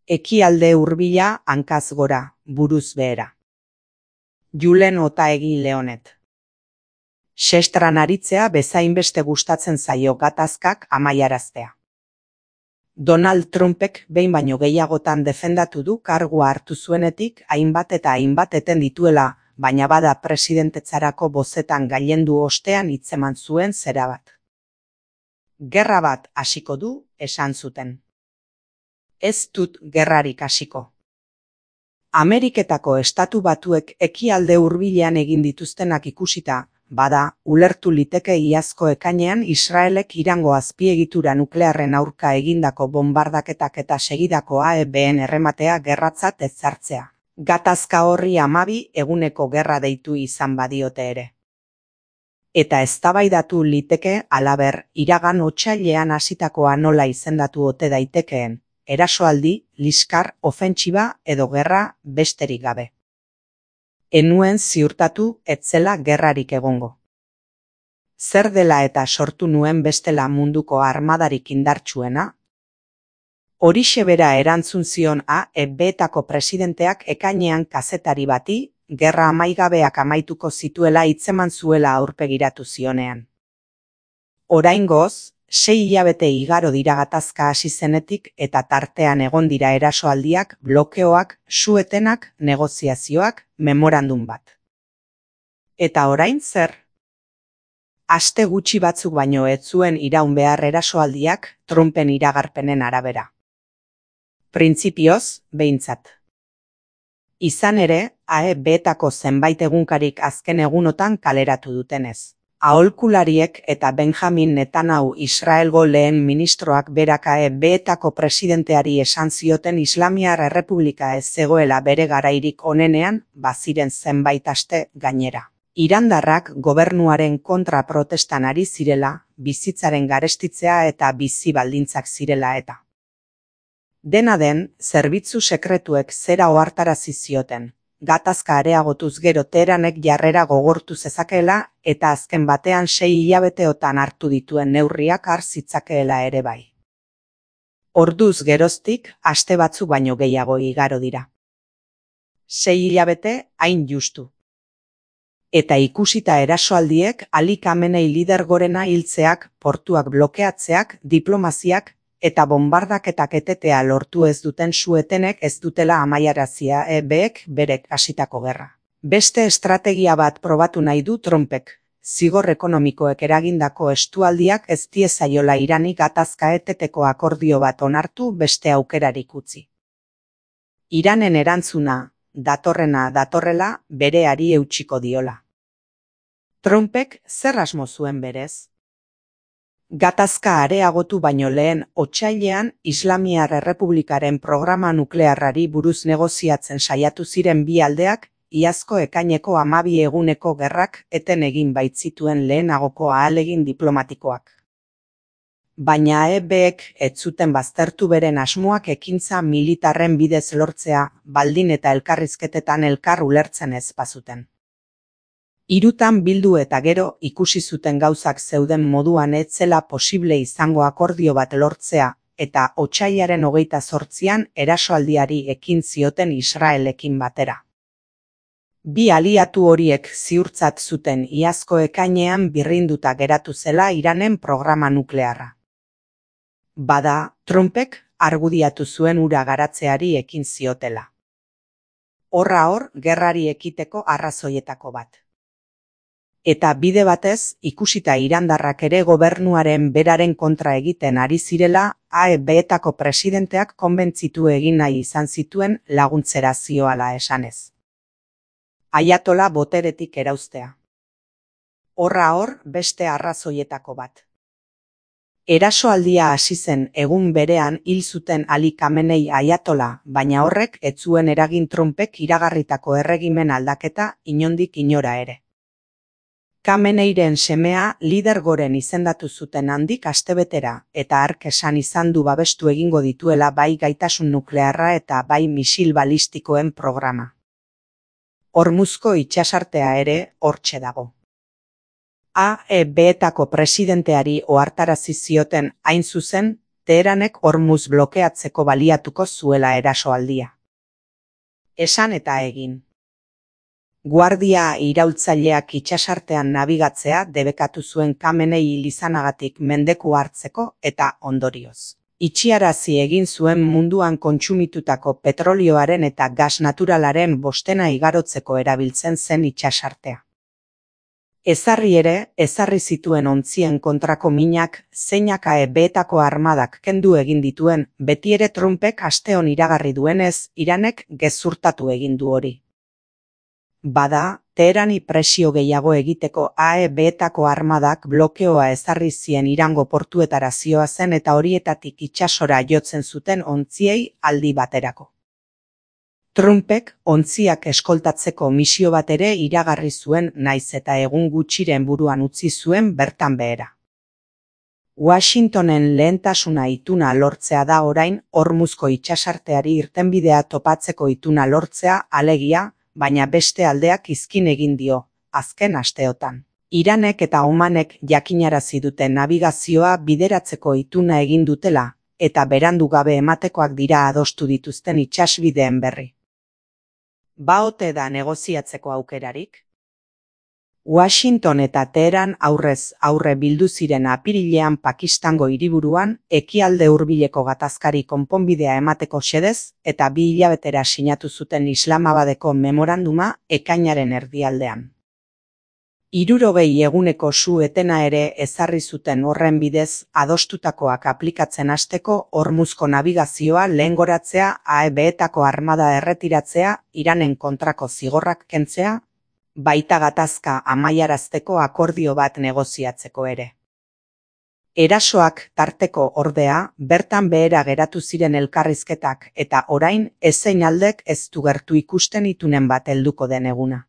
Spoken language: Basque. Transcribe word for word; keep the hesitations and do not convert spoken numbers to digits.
Ekialde hurbila hankaz gora, buruz behera. Julen Otaegi Leonet. Sestran aritzea bezainbeste gustatzen zaio gatazkak amaiaraztea. Donald Trumpek behin baino gehiagotan defendatu du kargua hartu zuenetik hainbat eta hainbat eten dituela, baina bada presidentetzarako bozetan gailendu ostean hitzeman zuen zera bat. Gerra bat hasiko du, esan zuten. Ez dut gerrarik hasiko. Ameriketako Estatu Batuek ekialde hurbilean egin dituztenak ikusita, bada, ulertu liteke iazko ekainean Israelek Irango azpiegitura nuklearren aurka egindako bonbardaketak eta segidako A E B:en errematea gerratzat ezartzea. Gatazka horri hamabi eguneko gerra deitu izan badiote ere. Eta eztabaidatu liteke halaber, iragan otsailean hasitakoa nola izendatu ote daitekeen, erasoaldi, liskar, ofentsiba edo gerra besterik gabe. Enuen ziurtatu etzela gerrarik egongo. Zer dela eta sortu nuen bestela munduko armadarik indartsuena? Horixe bera erantzun zion A E B:etako presidenteak ekainean kazetari bati, gerra amaigabeak amaituko zituela hitzeman zuela aurpegiratu zionean. Oraingoz, sei hilabete igaro dira gatazka hasi zenetik eta tartean egon dira erasoaldiak, blokeoak, su-etenak, negoziazioak, memorandum bat. Eta orain zer? Aste gutxi batzuk baino ez zuen iraun behar erasoaldiak Trumpen iragarpenen arabera. Printzipioz, behintzat. Izan ere, A E B:etako zenbait egunkarik azken egunotan kaleratu dutenez. Aholkulariek eta Benjamin Netanyahu Israelgo lehen ministroak berak A E B:etako presidenteari esan zioten Islamiar Errepublika ez zegoela bere garairik onenean, baziren zenbait aste gainera. Irandarrak gobernuaren kontra protestan ari zirela, bizitzaren garestitzea eta bizi baldintzak zirela eta. Dena den, zerbitzu sekretuek zera ohartarazi zioten. Gatazka areagotuz gero Teheranek jarrera gogortu zezakeela eta azken batean sei hilabeteotan hartu dituen neurriak har zitzakeela ere bai. Orduz geroztik, aste batzuk baino gehiago igaro dira. Sei hilabete hain justu. Eta ikusita erasoaldiek Ali Khamenei lider gorena hiltzeak, portuak blokeatzeak, diplomaziak, eta bonbardaketak etetea lortu ez duten su-etenek ez dutela amaiarazia A E B:ek berek hasitako gerra. Beste estrategia bat probatu nahi du Trumpek. Zigor ekonomikoek eragindako estualdiak ez diezaiola Irani gatazka eteteko akordio bat onartu beste aukerarik utzi. Iranen erantzuna, datorrena datorrela, bereari eutsiko diola. Trumpek zer asmo zuen berez? Gatazka areagotu baino lehen otsailean Islamiar Errepublikaren programa nuklearrari buruz negoziatzen saiatu ziren bi aldeak, iazko ekaineko hamabi eguneko gerrak eten egin baitzituen lehenagoko ahalegin diplomatikoak. Baina A E B:ek ez zuten baztertu beren asmoak ekintza militarren bidez lortzea, baldin eta elkarrizketetan elkar ulertzen ez bazuten. Hirutan bildu eta gero ikusi zuten gauzak zeuden moduan ez zela posible izango akordio bat lortzea, eta otsailaren hogeita zortzian erasoaldiari ekin zioten Israelekin batera. Bi aliatu horiek ziurtzat zuten iazko ekainean birrinduta geratu zela Iranen programa nuklearra. Bada, Trumpek argudiatu zuen hura garatzeari ekin ziotela. Horra hor, gerrari ekiteko arrazoietako bat. Eta bide batez, ikusita irandarrak ere gobernuaren beraren kontra egiten ari zirela, A E B:etako presidenteak konbentzitu egin nahi izan zituen laguntzera zioala esanez. Aiatola boteretik erauztea. Horra hor, beste arrazoietako bat. Erasoaldia hasi zen egun berean hil zuten Ali Khamenei aiatola, baina horrek ez zuen eragin Trumpek iragarritako erregimen aldaketa inondik inora ere. Khameneiren semea lider goren izendatu zuten handik astebetera eta hark esan izan du babestu egingo dituela bai gaitasun nuklearra eta bai misil balistikoen programa. Hormuzko itsasartea ere hortxe dago. A E B:etako presidenteari ohartarazi zioten hain zuzen, Teheranek Hormuz blokeatzeko baliatuko zuela erasoaldia. Esan eta egin. Guardia iraultzaileak itsasartean nabigatzea debekatu zuen Khamenei hil izanagatik mendeku hartzeko eta ondorioz itxiarazi egin zuen munduan kontsumitutako petrolioaren eta gas naturalaren bostena igarotzeko erabiltzen zen itsasartea. Ezarri ere, ezarri zituen ontzien kontrako minak zeinak A E B-etako armadak kendu egin dituen, betiere Trumpek asteon iragarri duenez, Iranek gezurtatu egin du hori. Bada, Teherani presio gehiago egiteko A E B-etako armadak blokeoa ezarri zien Irango portuetara zihoazen eta horietatik itsasora jotzen zuten ontziei aldi baterako. Trumpek ontziak eskoltatzeko misio bat ere iragarri zuen naiz eta egun gutxiren buruan utzi zuen bertan behera. Washingtonen lehentasuna ituna lortzea da orain Hormuzko itsasarteari irtenbidea topatzeko ituna lortzea alegia, baina beste aldeak izkin egin dio, azken asteotan. Iranek eta Omanek jakinarazi dute nabigazioa bideratzeko ituna egin dutela, eta berandu gabe ematekoak dira adostu dituzten itsasbideen berri. Ba ote da negoziatzeko aukerarik? Washington eta Teheran aurrez aurre bildu ziren apirilean Pakistango hiriburuan ekialde hurbileko gatazkari konponbidea emateko xedez eta bi hilabetera sinatu zuten Islamabadeko memoranduma ekainaren erdialdean. Hirurogei eguneko su etena ere ezarri zuten horren bidez adostutakoak aplikatzen hasteko Hormuzko nabigazioa lehengoratzea, A E B-etako armada erretiratzea, Iranen kontrako zigorrak kentzea, baita gatazka amaiarazteko akordio bat negoziatzeko ere. Erasoak tarteko ordea, bertan behera geratu ziren elkarrizketak eta orain ezein aldek ez du gertu ikusten itunen bat helduko den eguna.